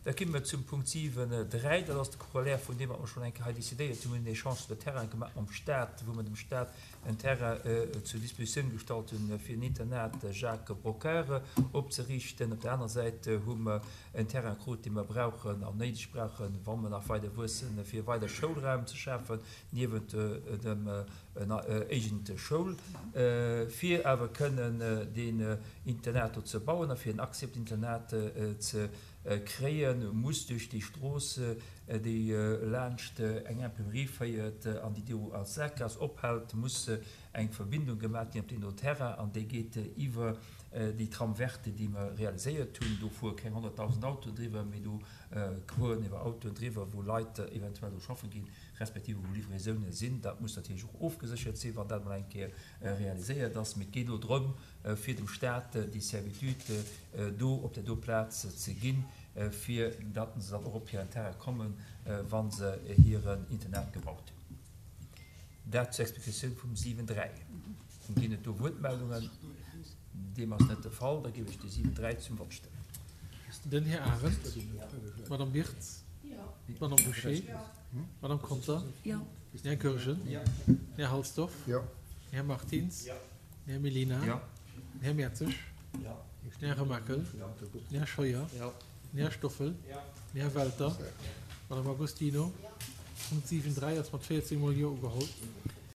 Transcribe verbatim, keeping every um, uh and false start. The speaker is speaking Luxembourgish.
Da komme mer zum Punkt siwen dräi. Dat ass de Corollaire vun deem, wat mer schonn eng Kéier hei decidéiert hunn. Mir hunn en Échange de terrain gemaach mam Stat, wou mer dem Stat en Terrain zur Dispositioun gestallt hunn, fir en Internat Jacques Brocquart opzeriichten. Op der aner Säit hu mer en Terrain krut, dee mer brauchen an néideg brauchen, wa mer nach weider wuessen, fir weider Schoulraum ze schafen, niewent dem éigente Schoul, fir awer kënnen deen Internat do ze bauen a fir en Accès op d'Internat ze kréien, muss duerch déi Strooss, déi laanscht eng Imprimerie féiert an déi do als Saakgaass ophält, muss eng Verbindung gemaach ginn op deen do Terrain an déi geet iwwer déi Trame verte, déi mer realiséiert hunn. Do fuere keng honnertdausend Autoen driwwer, mee do fueren iwwer Autoen driwwer, wou Leit eventuell do schaffe ginn, respektiv wou Livraisounen sinn. Dat muss natierlech och ofgeséchert sinn, wann dat emol eng Kéier realiséiert ass. Mee et geet elo drëm, fir dem Stat déi Servitude do op där do Plaz ze ginn, fir datt se dann och op hiren Terrain kommen, wa se hiren Internat gebaut hunn. Dat zur Explikatioun vum siwen dräi. Ginn et do Wuertmeldungen? Deem ass net de Fall. Da géif ech de siwen dräi zum Vott stellen. Den Här Arendt, d'Madame Wirtz, d'Madame Bouché, d'Madame Conter, den Här Goergen, den Här Halsdorf, den Här Martins, den Här Mellina, den Här Mertzig, den Här Remakel, den Här Scheuer, den Här Stoffel, den Här Welter, d'Madame Agostino. Punkt siwen dräi ass mat véierzéng Mol Jo ugeholl.